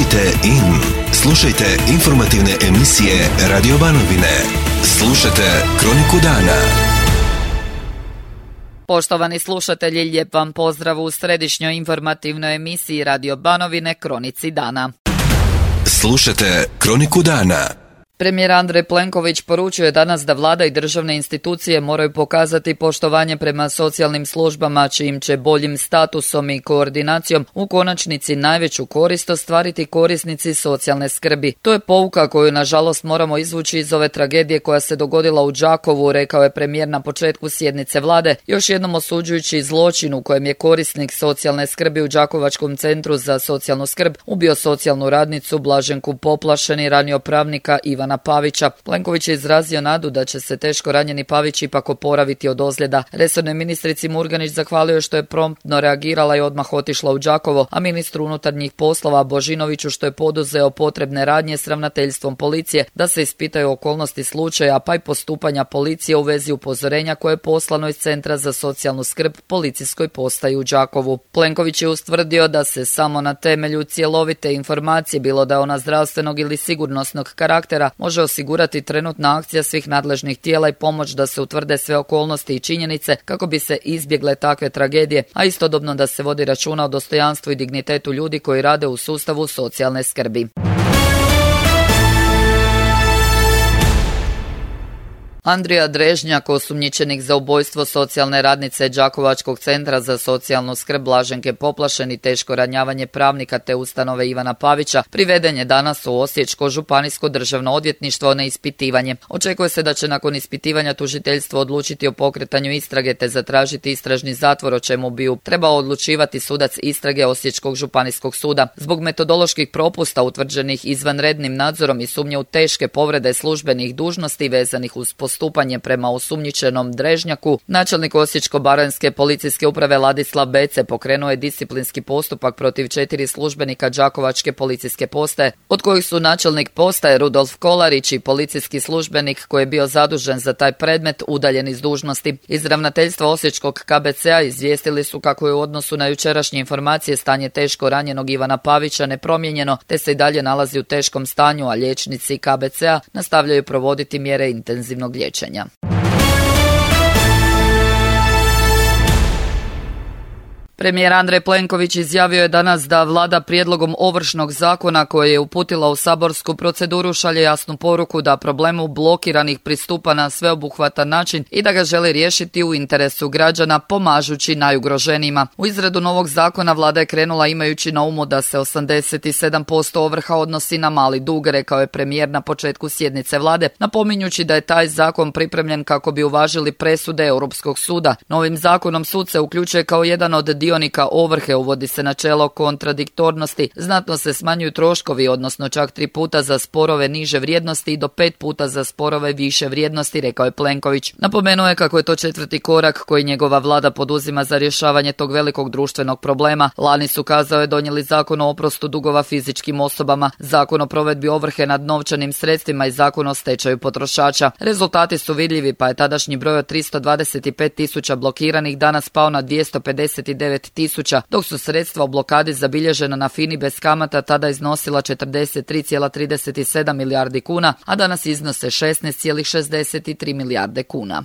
Tunite in. Slušajte informativne emisije Radio Banovine. Slušajte Kroniku dana. Poštovani slušatelji, lijep vam pozdrav u središnjoj informativnoj emisiji Radio Banovine Kronici dana. Slušajte Kroniku dana. Premijer Andrej Plenković poručuje danas da vlada i državne institucije moraju pokazati poštovanje prema socijalnim službama, čijim će boljim statusom i koordinacijom u konačnici najveću korist ostvariti korisnici socijalne skrbi. To je pouka koju nažalost moramo izvući iz ove tragedije koja se dogodila u Đakovu, rekao je premijer na početku sjednice vlade, još jednom osuđujući zločin u kojem je korisnik socijalne skrbi u Đakovačkom centru za socijalnu skrb ubio socijalnu radnicu Blaženku Poplašen i ranio pravnika Ivana Pavića. Plenković je izrazio nadu da će se teško ranjeni Pavić ipak oporaviti od ozljeda. Resornoj ministrici Murganić zahvalio što je promptno reagirala i odmah otišla u Đakovo, a ministru unutarnjih poslova Božinoviću što je poduzeo potrebne radnje s ravnateljstvom policije da se ispitaju okolnosti slučaja pa i postupanja policije u vezi upozorenja koje je poslano iz Centra za socijalnu skrb policijskoj postaji u Đakovu. Plenković je ustvrdio da se samo na temelju cjelovite informacije, bilo da je ona zdravstvenog ili sigurnosnog karaktera, može osigurati trenutna akcija svih nadležnih tijela i pomoć da se utvrde sve okolnosti i činjenice kako bi se izbjegle takve tragedije, a istodobno da se vodi računa o dostojanstvu i dignitetu ljudi koji rade u sustavu socijalne skrbi. Andrija Drežnjak, osumnjičenik za ubojstvo socijalne radnice Đakovačkog centra za socijalnu skrb Blaženke Poplašen i teško ranjavanje pravnika te ustanove Ivana Pavića, priveden je danas u Osječko županijsko državno odvjetništvo na ispitivanje. Očekuje se da će nakon ispitivanja tužiteljstvo odlučiti o pokretanju istrage te zatražiti istražni zatvor, o čemu bi trebao odlučivati sudac istrage Osječkog županijskog suda. Zbog metodoloških propusta utvrđenih izvanrednim nadzorom i sumnje u teške povrede službenih dužnosti vezanih uz postupanje prema osumnjičenom Drežnjaku, načelnik Osječko-baranjske policijske uprave Ladislav Bece pokrenuo je disciplinski postupak protiv 4 službenika Đakovačke policijske postaje, od kojih su načelnik postaje Rudolf Kolarić i policijski službenik koji je bio zadužen za taj predmet udaljen iz dužnosti. Iz ravnateljstva Osječkog KBC-a izvijestili su kako je u odnosu na jučerašnje informacije stanje teško ranjenog Ivana Pavića nepromijenjeno, te se i dalje nalazi u teškom stanju, a liječnici KBC-a nastavljaju provoditi mjere intenzivnog liječenja. Premijer Andrej Plenković izjavio je danas da vlada prijedlogom Ovršnog zakona koje je uputila u saborsku proceduru šalje jasnu poruku da problemu blokiranih pristupa na sveobuhvatan način i da ga želi riješiti u interesu građana pomažući najugroženijima. U izradu novog zakona vlada je krenula imajući na umu da se 87% ovrha odnosi na mali dug, rekao je premijer na početku sjednice vlade, napominjući da je taj zakon pripremljen kako bi uvažili presude Europskog suda. Novim zakonom sud se uključuje kao jedan od dionika ovrhe, uvodi se načelo kontradiktornosti, znatno se smanjuju troškovi, odnosno čak 3 puta za sporove niže vrijednosti i do 5 puta za sporove više vrijednosti, rekao je Plenković. Napomenuo je kako je to 4. korak koji njegova vlada poduzima za rješavanje tog velikog društvenog problema. Lani su, kazao je, donijeli zakon o oprostu dugova fizičkim osobama, zakon o provedbi ovrhe nad novčanim sredstvima i zakon o stečaju potrošača. Rezultati su vidljivi, pa je tadašnji broj od 325.000 blokiranih danas pao na 259.000, dok su sredstva u blokadi zabilježena na FINI bez kamata tada iznosila 43,37 milijardi kuna, a danas iznose 16,63 milijarde kuna.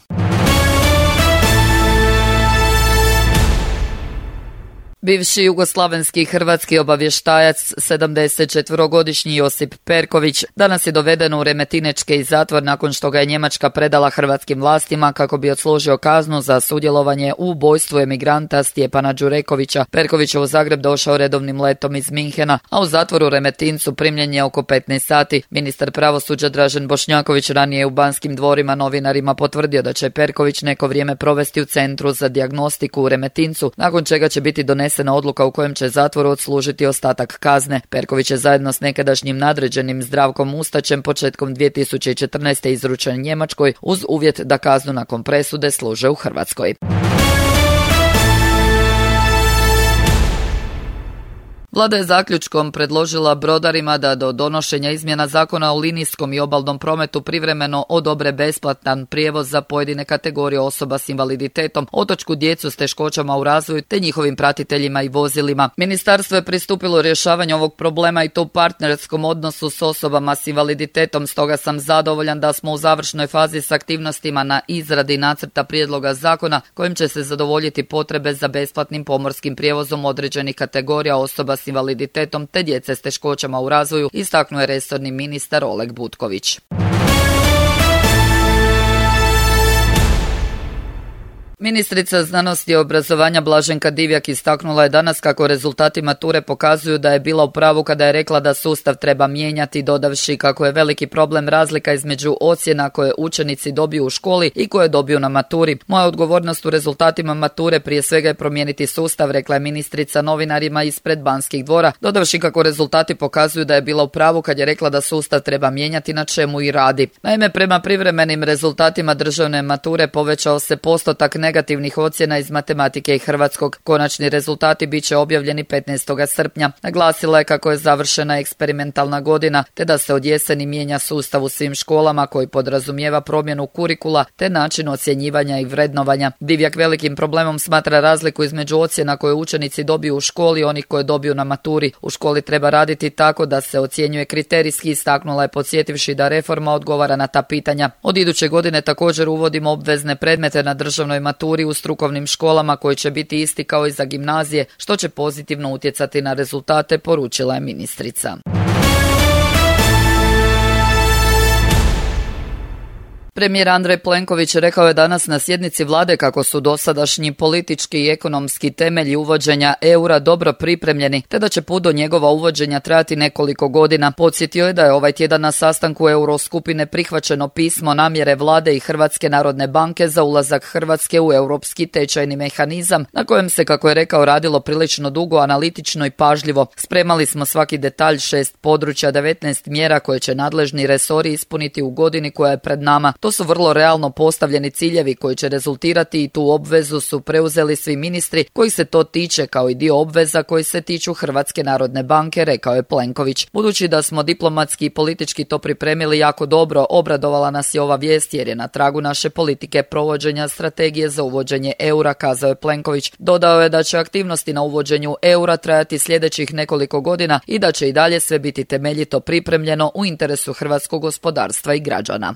Bivši jugoslavenski hrvatski obavještajac, 74-godišnji Josip Perković, danas je doveden u Remetinečki zatvor nakon što ga je Njemačka predala hrvatskim vlastima kako bi odslužio kaznu za sudjelovanje u ubojstvu emigranta Stjepana Đurekovića. Perković je u Zagreb došao redovnim letom iz Minhena, a u zatvoru u Remetincu primljen je oko 15 sati. Ministar pravosuđa Dražen Bošnjaković ranije je u Banskim dvorima novinarima potvrdio da će Perković neko vrijeme provesti u Centru za dijagnostiku u Remetincu, nakon čega će biti donesena odluka u kojem će zatvoru odslužiti ostatak kazne. Perković je zajedno s nekadašnjim nadređenim Zdravkom Mustačem početkom 2014. izručen Njemačkoj uz uvjet da kaznu nakon presude služe u Hrvatskoj. Vlada je zaključkom predložila brodarima da do donošenja izmjena zakona o linijskom i obalnom prometu privremeno odobre besplatan prijevoz za pojedine kategorije osoba s invaliditetom, otočku djecu s teškoćama u razvoju te njihovim pratiteljima i vozilima. Ministarstvo je pristupilo rješavanju ovog problema i to u partnerskom odnosu s osobama s invaliditetom, stoga sam zadovoljan da smo u završnoj fazi s aktivnostima na izradi nacrta prijedloga zakona kojim će se zadovoljiti potrebe za besplatnim pomorskim prijevozom određenih kategorija osoba s invaliditetom te djece s teškoćama u razvoju, istaknuo je resorni ministar Oleg Butković. Ministrica znanosti i obrazovanja Blaženka Divjak istaknula je danas kako rezultati mature pokazuju da je bila u pravu kada je rekla da sustav treba mijenjati, dodavši kako je veliki problem razlika između ocjena koje učenici dobiju u školi i koje dobiju na maturi. Moja odgovornost u rezultatima mature prije svega je promijeniti sustav, rekla je ministrica novinarima ispred Banskih dvora, dodavši kako rezultati pokazuju da je bila u pravu kad je rekla da sustav treba mijenjati, na čemu i radi. Naime, prema privremenim rezultatima državne mature povećao se postotak negativnih ocjena iz matematike i hrvatskog. Konačni rezultati bit će objavljeni 15. srpnja. Naglasila je kako je završena eksperimentalna godina, te da se od jeseni mijenja sustav u svim školama koji podrazumijeva promjenu kurikula te način ocjenjivanja i vrednovanja. Divjak velikim problemom smatra razliku između ocjena koje učenici dobiju u školi i onih koje dobiju na maturi. U školi treba raditi tako da se ocjenjuje kriterijski, istaknula je podsjetivši da reforma odgovara na ta pitanja. Od iduće godine također uvodimo obvezne predmete na državnoj maturi u strukovnim školama koji će biti isti kao i za gimnazije, što će pozitivno utjecati na rezultate, poručila je ministrica. Premijer Andrej Plenković rekao je danas na sjednici vlade kako su dosadašnji politički i ekonomski temelji uvođenja eura dobro pripremljeni, te da će put do njegova uvođenja trajati nekoliko godina. Podsjetio je da je ovaj tjedan na sastanku Euroskupine prihvaćeno pismo namjere vlade i Hrvatske narodne banke za ulazak Hrvatske u europski tečajni mehanizam, na kojem se, kako je rekao, radilo prilično dugo, analitično i pažljivo. Spremali smo svaki detalj, 6 područja, 19 mjera koje će nadležni resori ispuniti u godini koja je pred nama. To su vrlo realno postavljeni ciljevi koji će rezultirati i tu obvezu su preuzeli svi ministri koji se to tiče, kao i dio obveza koji se tiču Hrvatske narodne banke, rekao je Plenković. Budući da smo diplomatski i politički to pripremili jako dobro, obradovala nas je ova vijest jer je na tragu naše politike provođenja strategije za uvođenje eura, kazao je Plenković. Dodao je da će aktivnosti na uvođenju eura trajati sljedećih nekoliko godina i da će i dalje sve biti temeljito pripremljeno u interesu hrvatskog gospodarstva i građana.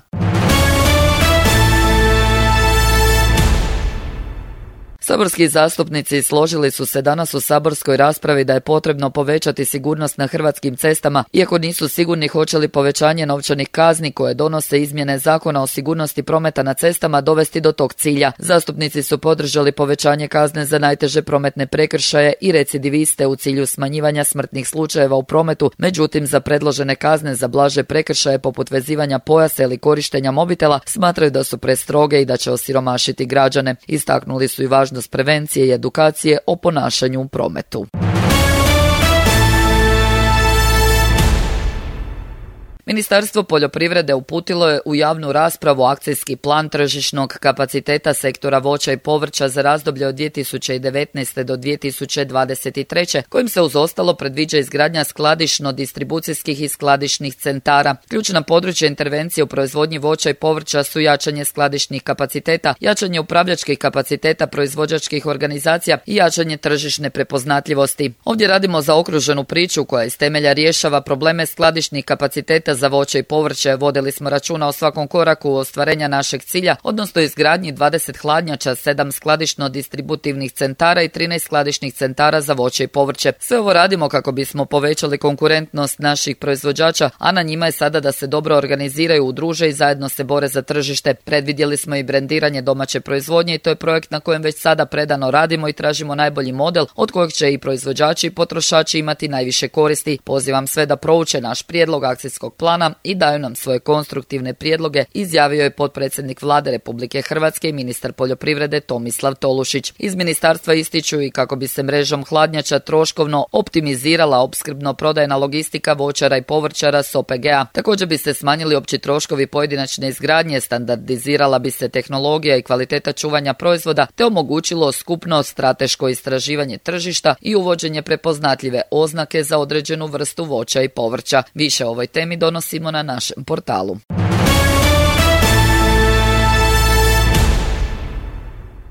Saborski zastupnici složili su se danas u saborskoj raspravi da je potrebno povećati sigurnost na hrvatskim cestama, iako nisu sigurni hoće li povećanje novčanih kazni koje donose izmjene Zakona o sigurnosti prometa na cestama dovesti do tog cilja. Zastupnici su podržali povećanje kazne za najteže prometne prekršaje i recidiviste u cilju smanjivanja smrtnih slučajeva u prometu, međutim za predložene kazne za blaže prekršaje poput vezivanja pojasa ili korištenja mobitela smatraju da su prestroge i da će osiromašiti građane. Istaknuli su i važnost prevencije i edukacije o ponašanju u prometu. Ministarstvo poljoprivrede uputilo je u javnu raspravu akcijski plan tržišnog kapaciteta sektora voća i povrća za razdoblje od 2019. do 2023. kojim se uz ostalo predviđa izgradnja skladišno-distribucijskih i skladišnih centara. Ključna područja intervencije u proizvodnji voća i povrća su jačanje skladišnih kapaciteta, jačanje upravljačkih kapaciteta proizvođačkih organizacija i jačanje tržišne prepoznatljivosti. Ovdje radimo zaokruženu priču koja iz temelja rješava probleme skladišnih kapaciteta za voće i povrće. Vodili smo računa o svakom koraku ostvarenja našeg cilja, odnosno izgradnji 20 hladnjača, 7 skladišno-distributivnih centara i 13 skladišnih centara za voće i povrće. Sve ovo radimo kako bismo povećali konkurentnost naših proizvođača, a na njima je sada da se dobro organiziraju, udruže i zajedno se bore za tržište. Predvidjeli smo i brendiranje domaće proizvodnje i to je projekt na kojem već sada predano radimo i tražimo najbolji model od kojeg će i proizvođači i potrošači imati najviše koristi. Pozivam sve da prouče naš prijedlog akcijskog plana plana i daju nam svoje konstruktivne prijedloge, izjavio je potpredsjednik Vlade Republike Hrvatske i ministar poljoprivrede Tomislav Tolušić. Iz ministarstva ističu i kako bi se mrežom hladnjača troškovno optimizirala opskrbno-prodajna logistika voćara i povrćara s OPG-a. Također bi se smanjili opći troškovi pojedinačne izgradnje, standardizirala bi se tehnologija i kvaliteta čuvanja proizvoda te omogućilo skupno strateško istraživanje tržišta i uvođenje prepoznatljive oznake za određenu vrstu voća i povrća. Više o ovoj temi donosimo na našem portalu.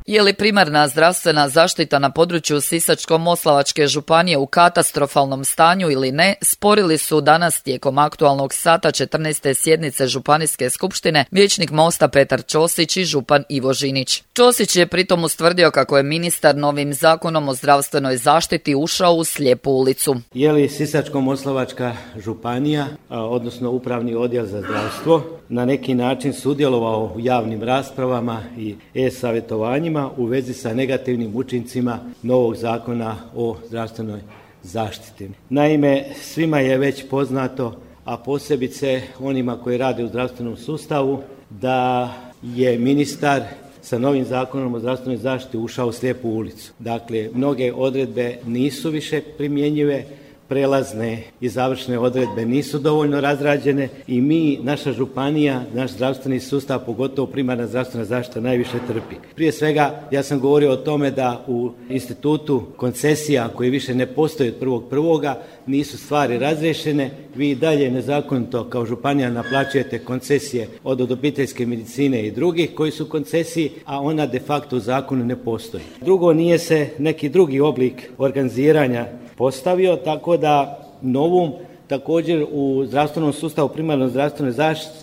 Je li primarna zdravstvena zaštita na području Sisačko-moslavačke županije u katastrofalnom stanju ili ne, sporili su danas tijekom aktualnog sata 14. sjednice Županijske skupštine vijećnik Mosta Petar Ćosić i župan Ivo Žinić. Ćosić je pritom ustvrdio kako je ministar novim zakonom o zdravstvenoj zaštiti ušao u slijepu ulicu. Je li Sisačko-moslavačka županija, odnosno Upravni odjel za zdravstvo, na neki način sudjelovao u javnim raspravama i e-savjetovanjima u vezi sa negativnim učincima novog zakona o zdravstvenoj zaštiti. Naime, svima je već poznato, a posebice onima koji rade u zdravstvenom sustavu, da je ministar sa novim zakonom o zdravstvenoj zaštiti ušao u slijepu ulicu. Dakle, mnoge odredbe nisu više primjenjive, prelazne i završne odredbe nisu dovoljno razrađene i mi, naša županija, naš zdravstveni sustav, pogotovo primarna zdravstvena zaštita, najviše trpi. Prije svega, ja sam govorio o tome da u institutu koncesija koji više ne postoji od 1.1. nisu stvari razriješene. Vi i dalje nezakonito kao županija naplaćujete koncesije od obiteljske medicine i drugih koji su koncesiji, a ona de facto u zakonu ne postoji. Drugo, nije se neki drugi oblik organiziranja postavio, tako da novom također u zdravstvenom sustavu primarno zdravstvenoj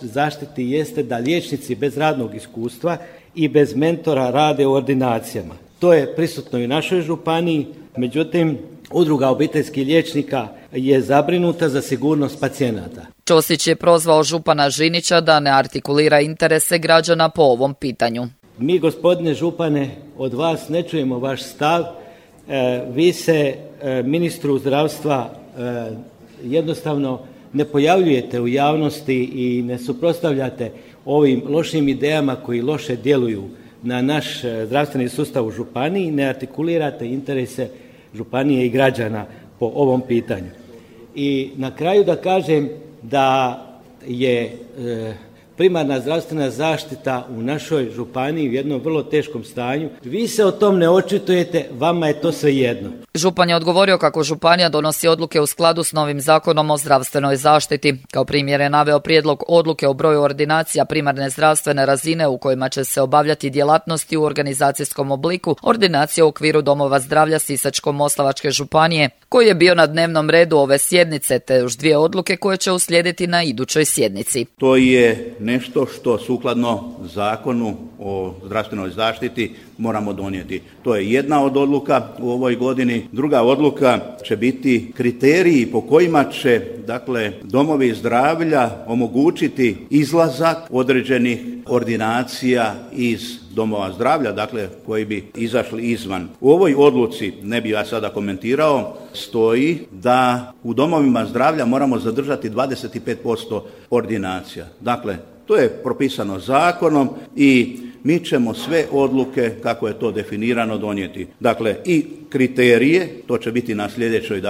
zaštiti jeste da liječnici bez radnog iskustva i bez mentora rade u ordinacijama. To je prisutno i u našoj županiji, međutim Udruga obiteljskih liječnika je zabrinuta za sigurnost pacijenata. Ćosić je prozvao župana Žinića da ne artikulira interese građana po ovom pitanju. Mi, gospodine župane, od vas ne čujemo vaš stav. Vi se ministru zdravstva jednostavno ne pojavljujete u javnosti i ne suprotstavljate ovim lošim idejama koji loše djeluju na naš zdravstveni sustav u županiji, ne artikulirate interese županije i građana po ovom pitanju. I na kraju da kažem da je primarna zdravstvena zaštita u našoj županiji u jednom vrlo teškom stanju. Vi se o tom ne očitujete, vama je to svejedno. Župan je odgovorio kako županija donosi odluke u skladu s novim zakonom o zdravstvenoj zaštiti. Kao primjer je naveo prijedlog odluke o broju ordinacija primarne zdravstvene razine u kojima će se obavljati djelatnosti u organizacijskom obliku ordinacije u okviru domova zdravlja Sisačko-moslavačke županije, koji je bio na dnevnom redu ove sjednice, te još 2 odluke koje će uslijediti na idućoj sjednici. To je nešto što sukladno zakonu o zdravstvenoj zaštiti moramo donijeti. To je jedna od odluka u ovoj godini. Druga odluka će biti kriteriji po kojima će, domovi zdravlja omogućiti izlazak određenih ordinacija iz domova zdravlja, koji bi izašli izvan. U ovoj odluci, ne bi ja sada komentirao, stoji da u domovima zdravlja moramo zadržati 25% ordinacija. To je propisano zakonom i mi ćemo sve odluke, kako je to definirano, donijeti. I kriterije, to će biti na sljedećoj,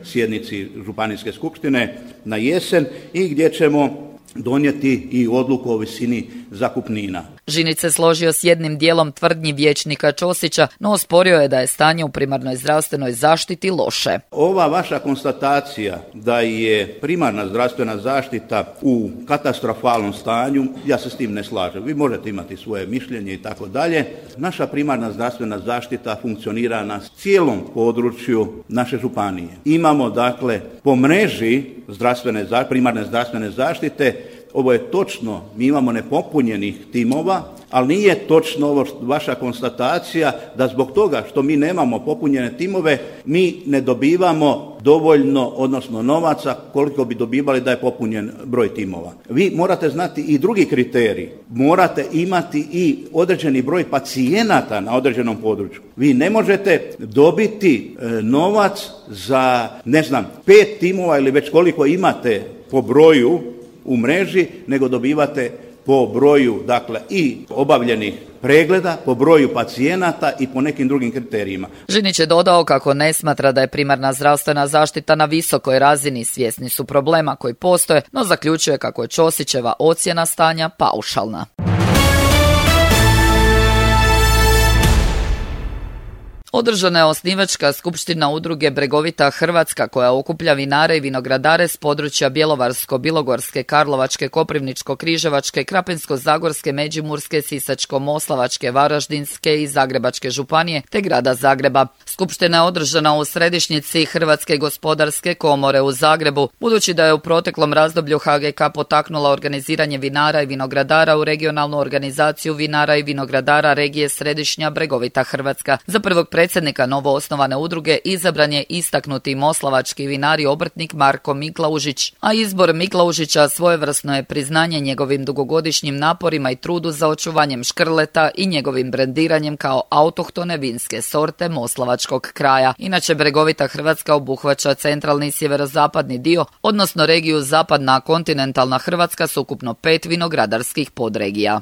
sjednici Županijske skupštine na jesen i gdje ćemo donijeti i odluku o visini zakupnina. Žinić se složio s jednim dijelom tvrdnji vijećnika Ćosića, no osporio je da je stanje u primarnoj zdravstvenoj zaštiti loše. Ova vaša konstatacija da je primarna zdravstvena zaštita u katastrofalnom stanju, ja se s tim ne slažem. Vi možete imati svoje mišljenje i tako dalje. Naša primarna zdravstvena zaštita funkcionira na cijelom području naše županije. Imamo po mreži primarne zdravstvene zaštite, ovo je točno, mi imamo nepopunjenih timova, ali nije točno ovo vaša konstatacija da zbog toga što mi nemamo popunjene timove, mi ne dobivamo dovoljno, odnosno novaca koliko bi dobivali da je popunjen broj timova. Vi morate znati i drugi kriterij, morate imati i određeni broj pacijenata na određenom području. Vi ne možete dobiti novac za, 5 timova ili već koliko imate po broju u mreži, nego dobivate po broju, dakle, i obavljenih pregleda, po broju pacijenata i po nekim drugim kriterijima. Žinić je dodao kako ne smatra da je primarna zdravstvena zaštita na visokoj razini, svjesni su problema koji postoje, no zaključuje kako je Ćosićeva ocjena stanja paušalna. Održana je osnivačka skupština udruge Bregovita Hrvatska koja okuplja vinare i vinogradare s područja Bjelovarsko-bilogorske, Karlovačke, Koprivničko-križevačke, Krapinsko-zagorske, Međimurske, Sisačko-moslavačke, Varaždinske i Zagrebačke županije te grada Zagreba. Skupština je održana u središnjici Hrvatske gospodarske komore u Zagrebu, budući da je u proteklom razdoblju HGK potaknula organiziranje vinara i vinogradara u regionalnu organizaciju vinara i vinogradara regije Središnja Bregovita Hrvatska. Za prvog predsjednika novoosnovane udruge izabran je istaknuti moslavački vinar i obrtnik Marko Miklaužić, a izbor Miklaužića svojevrsno je priznanje njegovim dugogodišnjim naporima i trudu za očuvanjem škrleta i njegovim brendiranjem kao autohtone vinske sorte moslavačkog kraja. Inače, Bregovita Hrvatska obuhvaća centralni i sjeverozapadni dio, odnosno regiju zapadna kontinentalna Hrvatska s ukupno 5 vinogradarskih podregija.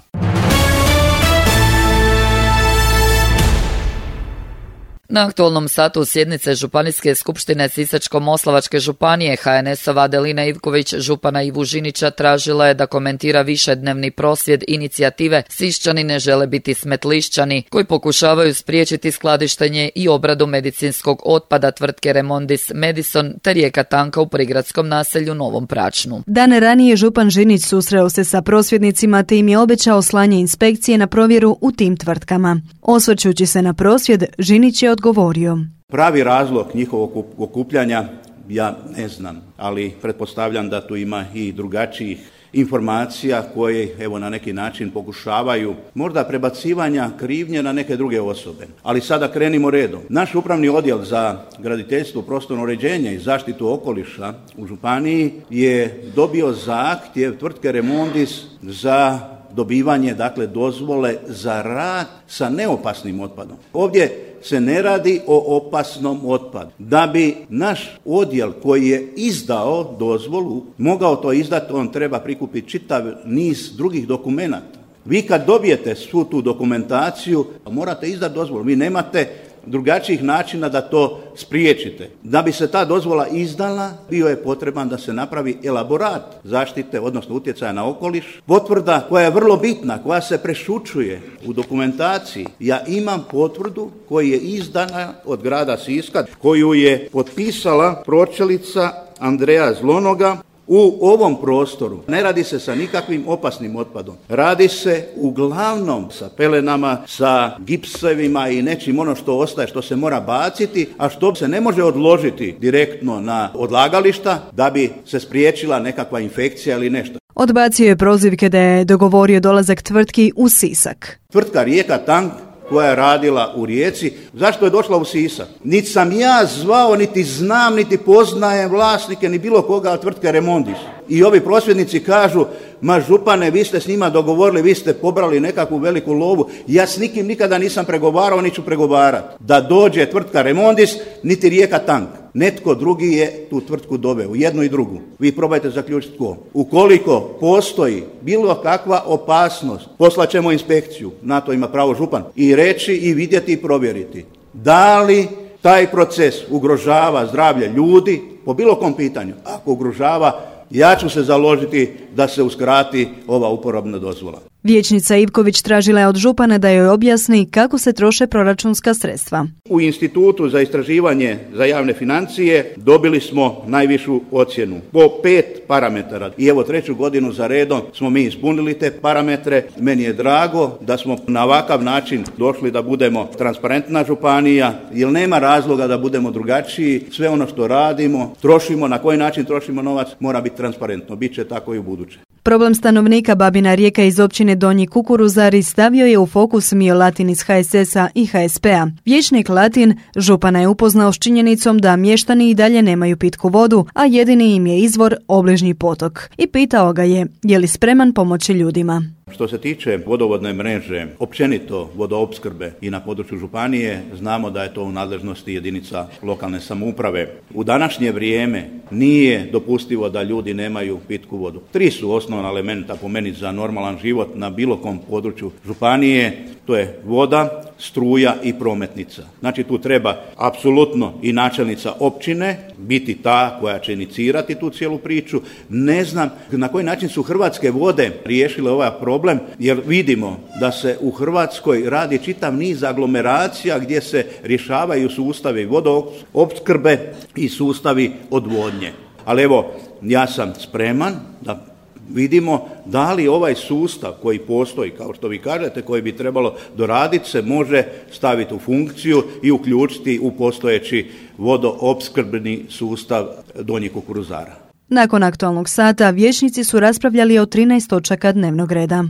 Na aktualnom satu sjednice Županijske skupštine Sisačko-moslavačke županije HNS-ova Adelina Ivković župana Ivu Žinića tražila je da komentira višednevni prosvjed inicijative Siščani ne žele biti smetlišćani, koji pokušavaju spriječiti skladištenje i obradu medicinskog otpada tvrtke Remondis Medison te rijeka Tanka u prigradskom naselju Novom Pračnu. Dane ranije župan Žinić susreo se sa prosvjednicima te im je obećao slanje inspekcije na provjeru u tim tvrtkama. Osvrćući se na prosvjed, Žinić je odgovorio: Pravi razlog njihovog okupljanja ja ne znam, ali pretpostavljam da tu ima i drugačijih informacija koje evo na neki način pokušavaju možda prebacivanja krivnje na neke druge osobe. Ali sada krenimo redom. Naš upravni odjel za graditeljstvo, prostorno uređenje i zaštitu okoliša u županiji je dobio zahtjev tvrtke Remondis za dobivanje, dakle, dozvole za rad sa neopasnim otpadom. Ovdje se ne radi o opasnom otpadu. Da bi naš odjel koji je izdao dozvolu mogao to izdati, on treba prikupiti čitav niz drugih dokumenata. Vi kad dobijete svu tu dokumentaciju, morate izdati dozvolu. Vi nemate drugačijih načina da to spriječite. Da bi se ta dozvola izdala, bio je potreban da se napravi elaborat zaštite, odnosno utjecaja na okoliš. Potvrda koja je vrlo bitna, koja se prešućuje u dokumentaciji. Ja imam potvrdu koja je izdana od grada Siska, koju je potpisala pročelnica Andreja Zlonoga. U ovom prostoru ne radi se sa nikakvim opasnim otpadom. Radi se uglavnom sa pelenama, sa gipsevima i nečim ono što ostaje, što se mora baciti, a što se ne može odložiti direktno na odlagališta da bi se spriječila nekakva infekcija ili nešto. Odbacio je prozivke da je dogovorio dolazak tvrtki u Sisak. Tvrtka Rijeka Tank koja je radila u Rijeci, zašto je došla u Sisak? Niti sam ja zvao, niti znam, niti poznajem vlasnike, ni bilo koga od tvrtke Remondis. I ovi prosvjednici kažu, ma župane, vi ste s njima dogovorili, vi ste pobrali nekakvu veliku lovu. Ja s nikim nikada nisam pregovarao, ni ću pregovarati. Da dođe tvrtka Remondis, niti Rijeka Tank. Netko drugi je tu tvrtku doveo, jednu i drugu. Vi probajte zaključiti tko. Ukoliko postoji bilo kakva opasnost, poslaćemo inspekciju, na to ima pravo župan, i reći i vidjeti i provjeriti. Da li taj proces ugrožava zdravlje ljudi po bilo kom pitanju? Ako ugrožava, ja ću se založiti da se uskrati ova uporabna dozvola. Vijećnica Ivković tražila je od župana da joj objasni kako se troše proračunska sredstva. U Institutu za istraživanje za javne financije dobili smo najvišu ocjenu po 5 parametara. I evo 3. godinu za redom smo mi ispunili te parametre. Meni je drago da smo na ovakav način došli da budemo transparentna županija, jer nema razloga da budemo drugačiji. Sve ono što radimo, trošimo, na koji način trošimo novac, mora biti transparentno. Biće tako i u buduće. Problem stanovnika Babina Rijeka iz općine Donji Kukuruzari stavio je u fokus Mio Latin iz HSS-a i HSP-a. Vijećnik Latin župana je upoznao s činjenicom da mještani i dalje nemaju pitku vodu, a jedini im je izvor obližnji potok. I pitao ga je li spreman pomoći ljudima. Što se tiče vodovodne mreže, općenito vodoopskrbe i na području županije, znamo da je to u nadležnosti jedinica lokalne samouprave. U današnje vrijeme nije dopustivo da ljudi nemaju pitku vodu. 3 su osnovna elementa po meni za normalan život na bilo kom području županije, to je voda, struja i prometnica. Znači tu treba apsolutno i načelnica općine biti ta koja će inicirati tu cijelu priču. Ne znam na koji način su Hrvatske vode riješile ovaj problem, jer vidimo da se u Hrvatskoj radi čitav niz aglomeracija gdje se rješavaju sustavi vodoopskrbe i sustavi odvodnje. Ali evo, ja sam spreman da vidimo da li ovaj sustav koji postoji, kao što vi kažete, koji bi trebalo doraditi, se može staviti u funkciju i uključiti u postojeći vodoopskrbni sustav Donjih Kukuruzara. Nakon aktualnog sata, vijećnici su raspravljali o 13 točaka dnevnog reda.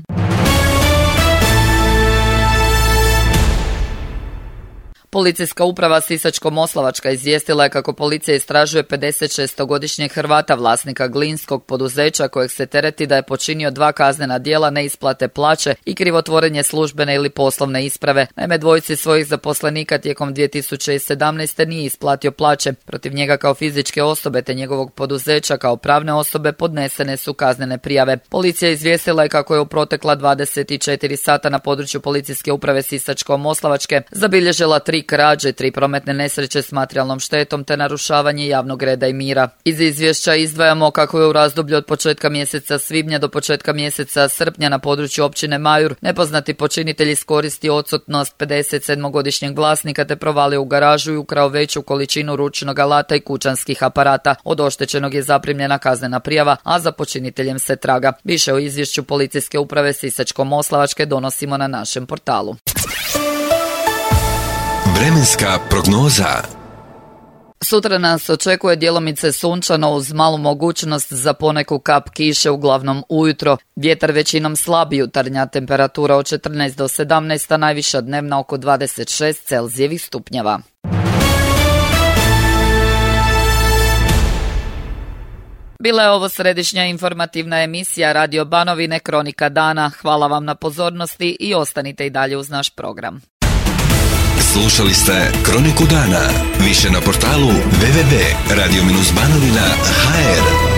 Policijska uprava Sisačko-moslavačka izvijestila je kako policija istražuje 56-godišnjeg Hrvata, vlasnika glinskog poduzeća, kojeg se tereti da je počinio 2 kaznena djela neisplate plaće i krivotvorenje službene ili poslovne isprave. Naime, dvojici svojih zaposlenika tijekom 2017. nije isplatio plaće. Protiv njega kao fizičke osobe te njegovog poduzeća kao pravne osobe podnesene su kaznene prijave. Policija izvijestila je kako je u protekla 24 sata na području policijske uprave Sisačko-moslavačke zabilježila 3 krađe, 3 prometne nesreće s materijalnom štetom te narušavanje javnog reda i mira. Iz izvješća izdvajamo kako je u razdoblju od početka mjeseca svibnja do početka mjeseca srpnja na području općine Majur nepoznati počinitelj iskoristio odsutnost 57-godišnjeg vlasnika te provalio u garažu i ukrao veću količinu ručnog alata i kućanskih aparata. Od oštećenog je zaprimljena kaznena prijava, a za počiniteljem se traga. Više o izvješću policijske uprave Sisačko-moslavačke donosimo na našem portalu. Vremenska prognoza. Sutra nas očekuje djelomice sunčano uz malu mogućnost za poneku kap kiše, uglavnom ujutro. Vjetar većinom slab, jutarnja temperatura od 14 do 17, a najviša dnevna oko 26 Celzijevih stupnjeva. Bila je ovo središnja informativna emisija Radio Banovine Kronika dana. Hvala vam na pozornosti i ostanite i dalje uz naš program. Slušali ste Kroniku dana. Više na portalu www.radio-banovina.hr.